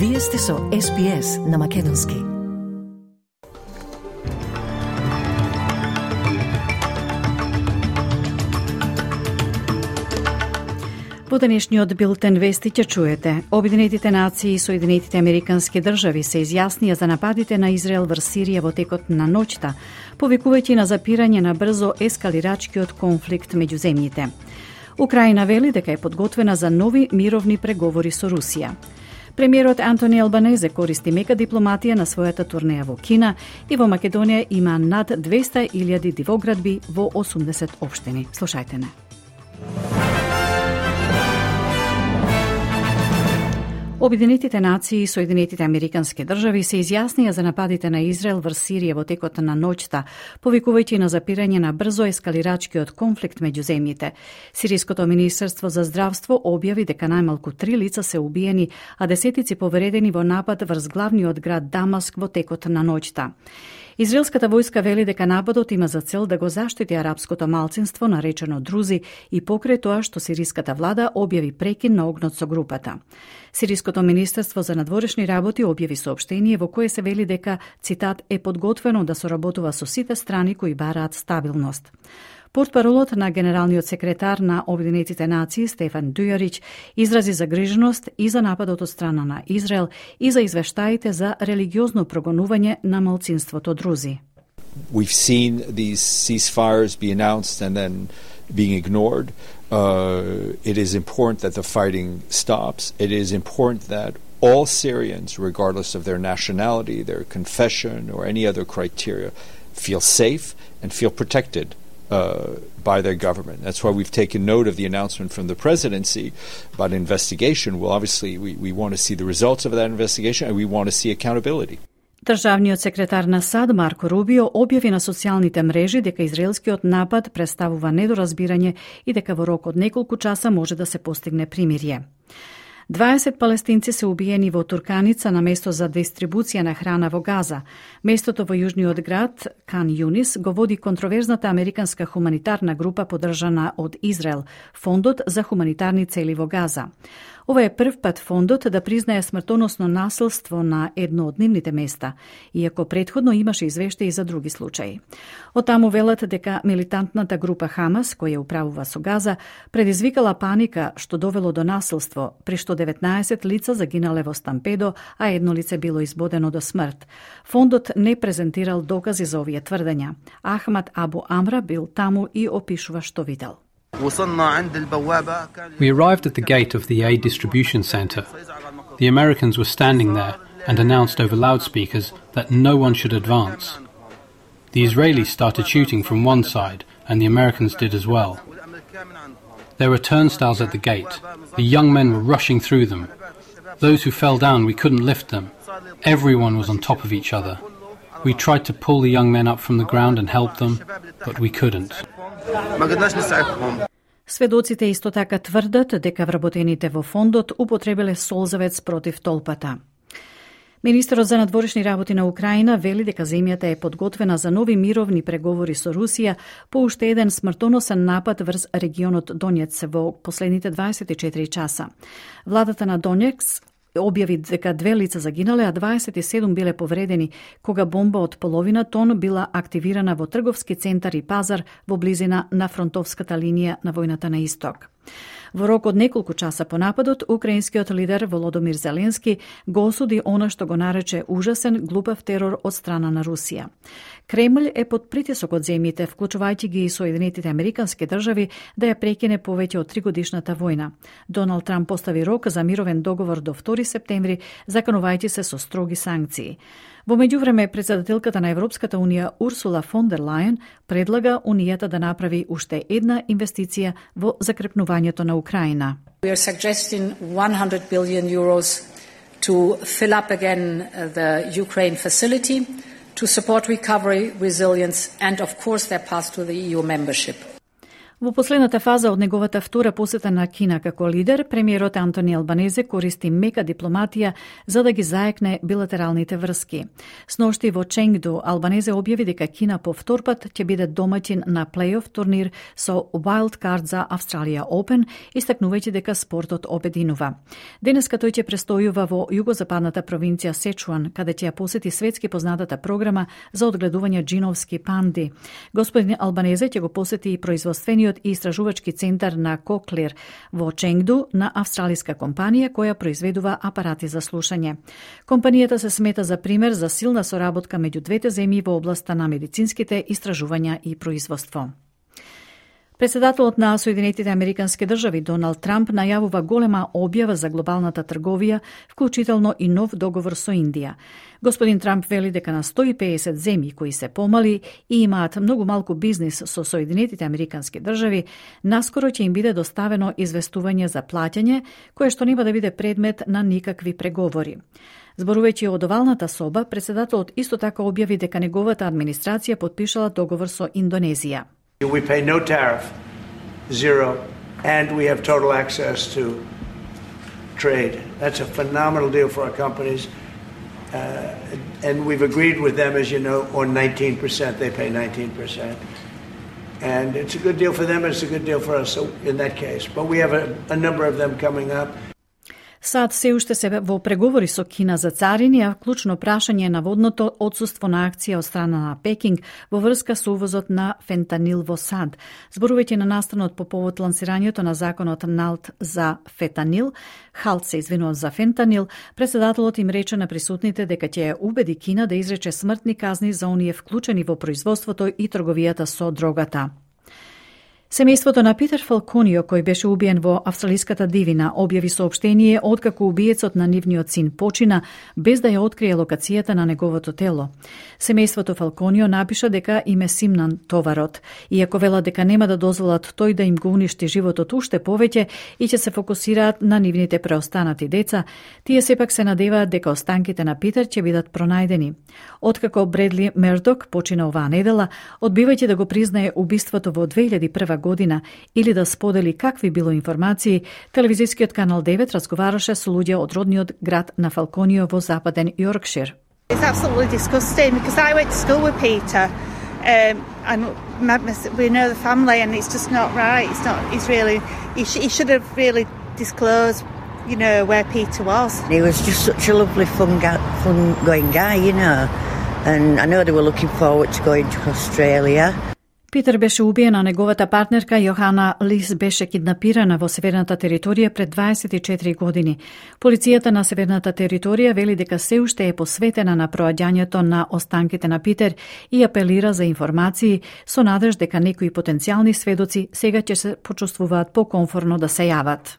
Вие сте со SPS на Македонски. Во денешниот билтен вести ќе чуете: Обединетите нации и Соединетите Американски држави се изјаснија за нападите на Израел врз Сирија во текот на ноќта, повикувајќи на запирање на брзо ескалирачкиот конфликт меѓу земјите. Украина вели дека е подготвена за нови мировни преговори со Русија. Премиерот Антони Албанезе користи мека дипломатија на својата турнеја во Кина и во Македонија има над 200.000 дивоградби во 80 општини. Слушајте не. Обединетите нации и Соединетите Американски држави се изјаснија за нападите на Израел врз Сирија во текот на ноќта, повикувајќи на запирање на брзо ескалирачкиот конфликт меѓу земјите. Сириското министерство за здравство објави дека најмалку 3 лица се убиени, а десетици повредени во напад врз главниот град Дамаск во текот на ноќта. Израелската војска вели дека нападот има за цел да го заштити арапското малцинство наречено друзи и покрај тоа што сириската влада објави прекин на огнот со групата. Сириското министерство за надворешни работи објави соопштение во кое се вели дека, цитат, е подготвено да соработува со сите страни кои бараат стабилност. Портпаролот на генералниот секретар на Обединетите нации Стефан Дујарич изрази загриженост и за нападот од страна на Израел и за извештаите за религиозно прогонување на малцинството друзи. We've seen these ceasefires be announced and then being ignored. It is important that the fighting stops. It is important that all Syrians, regardless of their nationality, their confession, or any other criteria, feel safe and feel protected by their government. That's why we've taken note of the announcement from the presidency about investigation. Well, obviously, we want to see the results of that investigation and we want to see accountability. Државниот секретар на САД Марко Рубио објави на социјалните мрежи дека израелскиот напад представува недоразбирање и дека во рок од неколку часа може да се постигне примирие. 20 палестинци се убиени во Турканица на место за дистрибуција на храна во Газа. Местото во јужниот град Кан Јунис го води контроверзната американска хуманитарна група поддржана од Израел, Фондот за хуманитарни цели во Газа. Ова е прв пат фондот да признае смртоносно насилство на едно од нивните места, иако претходно имаше извештаи за други случаи. Оттаму велат дека милитантната група Хамас, која управува со Газа, предизвикала паника што довело до насилство, при што 19 лица загинале во стампедо, а едно лице било избодено до смрт. Фондот не презентирал докази за овие тврдења. Ахмад Абу Амра бил таму и опишува што видел. We arrived at the gate of the aid distribution center. The Americans were standing there and announced over loudspeakers that no one should advance. The Israelis started shooting from one side and the Americans did as well. There were turnstiles at the gate. The young men were rushing through them. Those who fell down, we couldn't lift them. Everyone was on top of each other. We tried to pull the young men up from the ground and help them, but we couldn't. Сведоците исто така тврдат дека вработените во фондот употребиле солзавец против толпата. Министерот за надворешни работи на Украина вели дека земјата е подготвена за нови мировни преговори со Русија по уште еден смртоносен напад врз регионот Донецк во последните 24 часа. Владата на Донецк објави дека 2 лица загинале, а 27 биле повредени, кога бомба од половина тон била активирана во трговски центар и пазар во близина на фронтовската линија на војната на исток. Во рок од неколку часа по нападот, украинскиот лидер Володомир Зеленски го осуди она што го нарече ужасен, глупав терор од страна на Русија. Кремљ е под притисок од земјите, вклучувајќи ги и Соединетите Американски држави, да ја прекине повеќе од 3-годишната војна. Доналд Трамп постави рок за мировен договор до 2 септември, заканувајќи се со строги санкции. Во меѓувреме, председателката на Европската унија Урсула фон дер Лајен предлага унијата да направи уште една инвестиција во закрепнувањето на Украина. We are suggesting 100 billion euros to fill up again the Ukraine facility to support recovery, resilience and of course their path to the EU membership. Во последната фаза од неговата втора посета на Кина како лидер, премиерот Антони Албанезе користи мека дипломатија за да ги заекне билатералните врски. Сношти во Ченгду, Албанезе објави дека Кина по втор пат ќе биде домаќин на плейоф турнир со Wild Card за Австралија Open, истакнувајќи дека спортот обединува. Денеска тој ќе престојува во југозападната провинција Сечуан, каде ќе ја посети светски познатата програма за одгледување джиновски панди. Господин Албанезе ќе го посети и производствениот и истражувачки центар на Коклер во Ченгду на австралиска компанија која произведува апарати за слушање. Компанијата се смета за пример за силна соработка меѓу двете земји во областа на медицинските истражувања и производство. Председателот на Соединетите Американски држави Доналд Трамп најавува голема објава за глобалната трговија, вклучително и нов договор со Индија. Господин Трамп вели дека на 150 земји кои се помали и имаат многу малку бизнис со Соединетите Американски држави, наскоро ќе им биде доставено известување за плаќање, кое што нема да биде предмет на никакви преговори. Зборувајќи од овалната соба, председателот исто така објави дека неговата администрација подпишала договор со Индонезија. We pay no tariff, zero, and we have total access to trade. That's a phenomenal deal for our companies. And we've agreed with them, as you know, on 19%. They pay 19%. And it's a good deal for them, and it's a good deal for us in that case. But we have a number of them coming up. САД се уште се во преговори со Кина за царини, а клучно прашање е наводното отсуство на акција од страна на Пекинг во врска со увозот на фентанил во САД. Зборувајќи на настанот по повод лансирањето на законот НАЛТ за фентанил, ХАЛТ се извинува за фентанил, председателот им рече на присутните дека ќе убеди Кина да изрече смртни казни за оние вклучени во производството и трговијата со дрогата. Семејството на Питер Фалконио, кој беше убиен во австралиската дивина, објави соопштение откако убиецот на нивниот син почина, без да ја открие локацијата на неговото тело. Семејството Фалконио напиша дека им е симнан товарот, иако велат дека нема да дозволат тој да им го уништи животот уште повеќе и ќе се фокусираат на нивните преостанати деца, тие сепак се надеваат дека останките на Питер ќе бидат пронајдени. Откако Бредли Мердок почина оваа недела, одбивајќи да го признае убиството во 2001 година или да сподели какви било информации, телевизискиот канал 9 разговараше со луѓе од родниот град на Фалконио во западен Йоркшир. It's absolutely disgusting because I went to school with Peter and we know the family and it's just not right. It's really, he should have really disclosed, you know, where Peter was. He was just such a lovely fun-going guy, you know, and I know they were looking forward to going to Australia. Питер беше убиен, а неговата партнерка Јохана Лис беше киднапирана во Северната територија пред 24 години. Полицијата на Северната територија вели дека се уште е посветена на проаѓањето на останките на Питер и апелира за информации со надеж дека некои потенцијални сведоци сега ќе се почувствуваат покомфорно да се јават.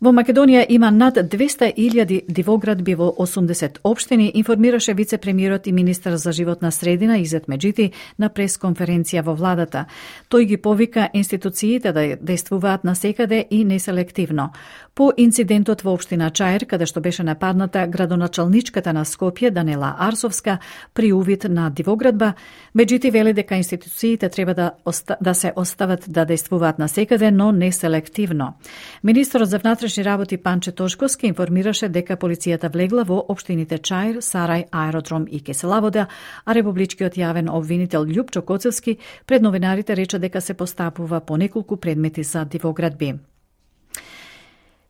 Во Македонија има над 200.000 дивоградби во 80 општини, информираше вице-премиерот и министар за животна средина Изет Меджити на пресконференција во владата. Тој ги повика институциите да действуваат насекаде и неселективно. По инцидентот во општина Чаир, каде што беше нападната градоначалничката на Скопје Данела Арсовска при увид на дивоградба, Меджити вели дека институциите треба да се остават да действуваат насекаде, но неселективно. Министерот за внатрешни работи Панче Тошковски информираше дека полицијата влегла во општините Чаир, Сарај, Аеродром и Кеселавода, а републичкиот јавен обвинител Љупчо Коцевски пред новинарите рече дека се постапува по неколку предмети за дивоградби.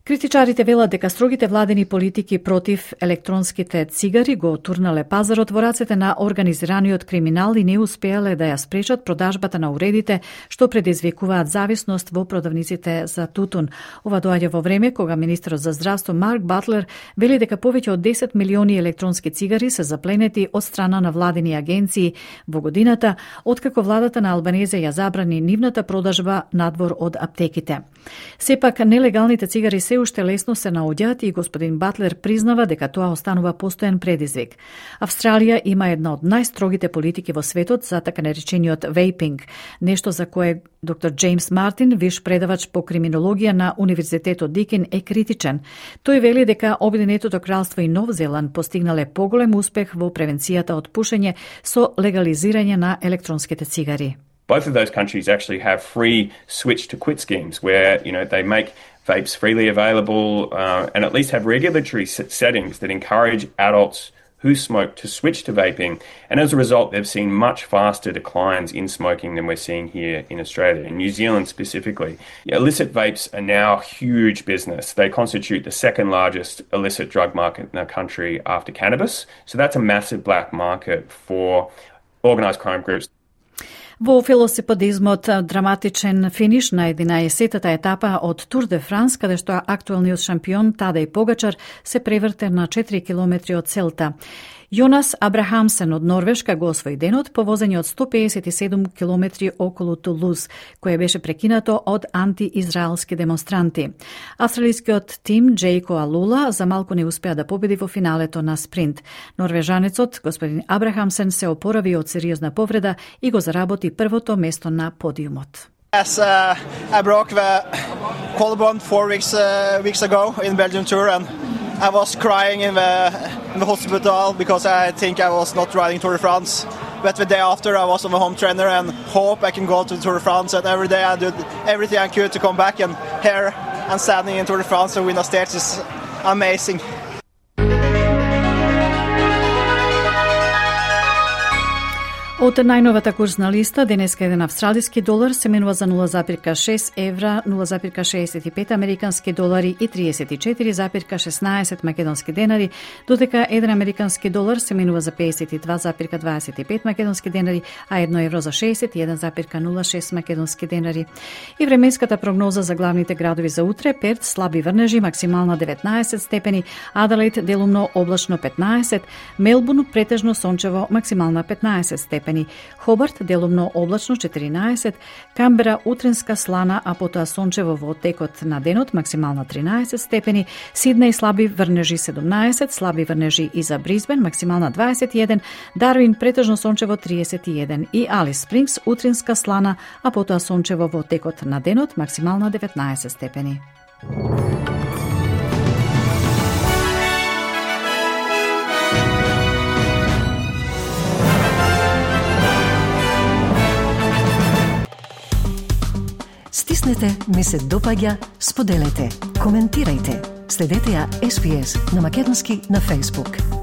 Критичарите велат дека строгите владени политики против електронските цигари го турнале пазарот во рацете на организираниот криминал и не успеале да ја спречат продажбата на уредите што предизвикуваат зависност во продавниците за тутун. Ова доаѓа во време кога министерот за здравство Марк Батлер вели дека повеќе од 10 милиони електронски цигари се запленети од страна на владени агенции во годината, откако владата на Албанезе ја забрани нивната продажба надвор од аптеките. Сепак нелегалните цигари се уште лесно се наоѓаат и господин Батлер признава дека тоа останува постојан предизвик. Австралија има една од најстрогите политики во светот за така наречениот вейпинг, нешто за кое доктор Джеймс Мартин, виш предавач по криминологија на Универзитетот Дикин, е критичен. Тој вели дека Обединетото кралство и Нов Зеланд постигнале поголем успех во превенцијата од пушење со легализирање на електронските цигари. Both of those countries actually have free switch to quit schemes where, they make vapes freely available and at least have regulatory settings that encourage adults who smoke to switch to vaping. And as a result, they've seen much faster declines in smoking than we're seeing here in Australia, in New Zealand specifically. Illicit vapes are now a huge business. They constitute the second largest illicit drug market in the country after cannabis. So that's a massive black market for organised crime groups. Во велосипедизмот драматичен финиш на 11-тата етапа од Тур де Франс, каде што актуелниот шампион Тадеј Погачар се преврте на 4 километри од целта. Јонас Абрахамсен од Норвешка го освои денот по возење од 157 километри околу Тулуз, кое беше прекинато од антиизраелски демонстранти. Австралискиот тим Джейко Алула за малку не успеа да победи во финалето на спринт. Норвежанецот, господин Абрахамсен, се опорави од сериозна повреда и го заработи првото место на подиумот. Yes, I broke the collarbone 4 weeks ago in Belgium Tour, and I was crying in the hospital because I think I was not riding Tour de France. But the day after, I was on the home trainer and hope I can go to the Tour de France. And every day I did everything I could to come back, and here I'm standing in Tour de France and win a stage is amazing. Од најновата курсна листа, денеска еден австралиски долар се менува за 0,6 евра, 0,65 американски долари и 34,16 македонски денари, додека еден американски долар се менува за 52,25 македонски денари, а 1 евро за 61,06 македонски денари. И временската прогноза за главните градови за утре: Перт слаби врнежи, максимална 19 степени, Аделаид делумно облачно 15, Мелбурн претежно сончево, максимална 15 степени, Хобарт делумно облачно 14, Камбера утренска слана, а потоа сончево во текот на денот, максимална 13 степени, Сиднеј слаби врнежи 17, слаби врнежи и за Брисбен, максимална 21, Дарвин претежно сончево 31 и Алис Спрингс утренска слана, а потоа сончево во текот на денот, максимална 19 степени. Стиснете, ми се допаѓа, споделете, коментирајте. Следете ја SPS на македонски на Facebook.